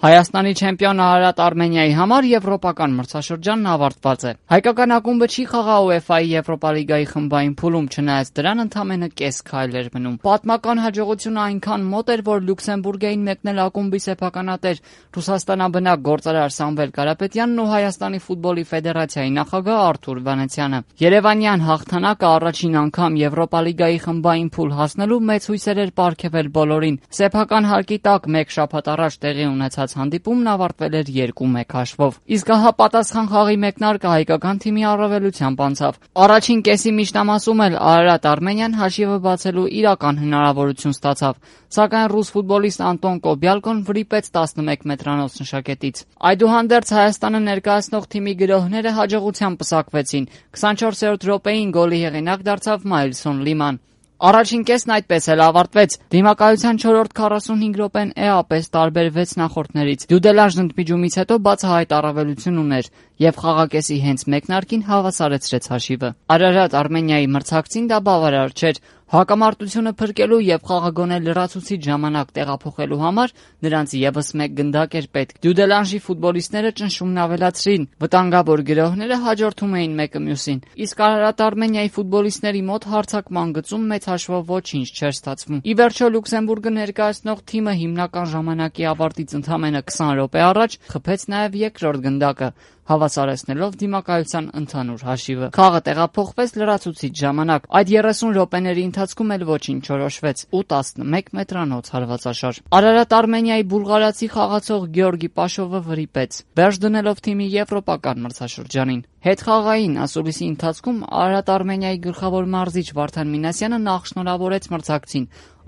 Հայաստանի չեմպիոն Արարատ Արմենիայի համար եվրոպական մրցաշրջանն ավարտված է։ Հայկական ակումբը չի խաղա UEFA-ի Եվրոպա լիգայի խմբային փուլում, չնայած դրան ընդամենը կես քայլ էր մնում։ Պատմական հաջողությունը այնքան մոտ էր, որ Լյուքսեմբուրգ էին մեկնել ակումբի սեփականատեր Ռուսաստանաբնակ գործարար Սամվել Կարապետյանն ու Հայաստանի ֆուտբոլի ֆեդերացիայի նախագահ Արթուր Վանեցյանը։ Երևանյան հաղթանակը առաջին անգամ Եվրոպա լիգայի խմբային փուլ հասնելու մեծ հույսեր էր պարգևել բոլորին։ Սեփական հարկի տակ մեկ շաբաթ առաջ տեղի ունեցած հանդիպումն ավարտվել էր 2-1 հաշվով։ Իսկ ահա պատասխան խաղի մեկնարկը հայկական թիմի առավելությամբ անցավ։ Առաջին կեսի միջնամասում էլ Արարատ Արմենիան հաշիվը բացելու իրական հնարավորություն ստացավ, սակայն ռուս ֆուտբոլիստ Անտոն Կոբյալկոն վրիպեց 11 մետրանոց նշակետից։ Այդուհանդերձ Հայաստանը ներկայացնող թիմի գրոհները հաջողությամբ պսակվեցին։ 24-րդ րոպեին գոլի հեղինակ դարձավ Մայլսոն Լիման։ Առաջին կեսն այդպես էլ ավարտվեց։ Դիմակայության 4-րդ 45 րոպեն էապես տարբերվեց նախորդներից։ Դյուդելանժ ընդմիջումից հետո բացահայտ առավելություն ուներ եւ խաղակեսի հենց մեկնարկին հավասարեցրեց հաշիվը։ Արարատ Արմենիայի մրցակցին դա բավարար չէր։ Հակամարտությունը փրկելու եւ խաղագոնե լրացուցիչ ժամանակ տեղափոխելու համար նրանց եւս մեկ գնդակ էր պետք։ Դյուդելանժի ֆուտբոլիստները ճնշումն ավելացրին, վտանգավոր գրոհները հաջորդում էին մեկը մյուսին։ Իսկ Արարատ Արմենիայի ֆուտբոլիստների մոտ հարձակման գծում մեծ հաշվով ոչինչ չէր ստացվում։ Ի վերջո Լյուքսեմբուրգը ներկայացնող թիմը հիմնական ժամանակի ավարտից ընդամենը 20 րոպե առաջ խփեց նաեւ երկրորդ գնդակը, հավասարեցնելով դիմակայության ընդհանուր հաշիվը։ Խաղը տեղափոխվեց լրացուցիչ ժամանակ։ Այդ 30 րոպեների ընթացքում էլ ոչինչ չորոշվեց ու 11 մետրանոց հարվածաշար։ Արարատ Արմենիայի բուլղարացի խաղացող Գեորգի Պաշովը վրիպեց, վերջ դնելով թիմի եվրոպական մրցաշրջանին։ Հետխաղային ասուլիսի ընթացքում Արարատ Արմենիայի գլխավոր մարզիչ Վարդան Մինասյանը նախ շնորհավորեց մրցակցին,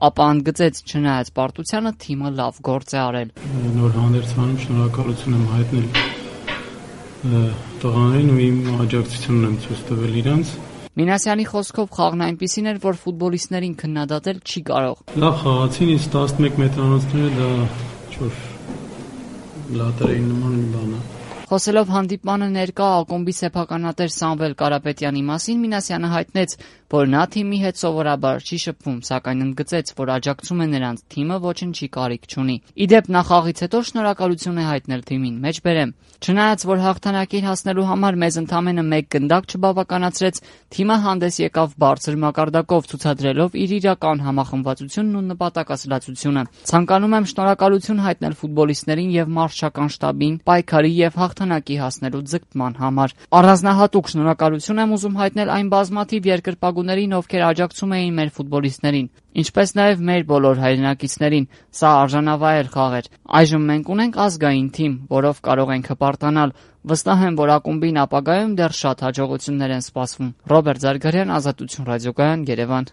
ապա ընդգծեց, չնայած պարտությանը թիմը լավ գործ է արել։ Նոր հանդերձանում շնորհակալություն եմ հայտնել տղաներին ու իմ աջակցությունն եմ ցույց տվել իրանց։ Մինասյանի խոսքով խաղն այնպիսին էր, որ ֆուտբոլիստներին քննադատել չի կարող։ Լավ խաղացին, իսկ 11 մետրանոցները դա ինչ-որ լատերեի նման մի բան է։ Խոսելով հանդիպմանը ներկա ակումբի սեփականատեր Սամվել Կարապետյանի մասին, Մինասյանը հայտնեց, որ նա թիմի հետ սովորաբար չի շփվում, սակայն ընդգծեց, որ աջակցում է նրանց, թիմը ոչինչի կարիք չունի։ Ի դեպ, նա խաղից հետո շնորհակալություն է հայտնել թիմին, մեջբերեմ։ Չնայած որ հաղթանակին հասնելու համար մեզ ընդամենը մեկ գնդակ չբավականացրեց, թիմը հանդես եկավ բարձր մակարդակով, ցուցադրելով իր իրական համախմբվածությունն ու նպատակասլացությունը։ Ցանկանում եմ շնորհակալություն հայտնել ֆուտբոլիստներին եւ մարզչական շտաբին պայքարի եւ հաղթանակի հասնելու ձգտման համար։ Առանձնահատուկ շնորհակալություն եմ ուզում հայտնել այն բազմաթիվ երկրպագուներին, ովքեր աջակցում էին մեր ֆուտբոլիստներին, ինչպես նաև մեր բոլոր հայրենակիցներին։ Սա արժանավայել խաղ էր։ Այժմ մենք ունենք ազգային թիմ, որով կարող ենք հպարտանալ։ Վստահ եմ, որ ակումբին ապագայում դեռ շատ հաջողություններ են սպասվում։ Ռոբերտ Զարգարյան, Ազատություն ռադիոկայան, Երևան։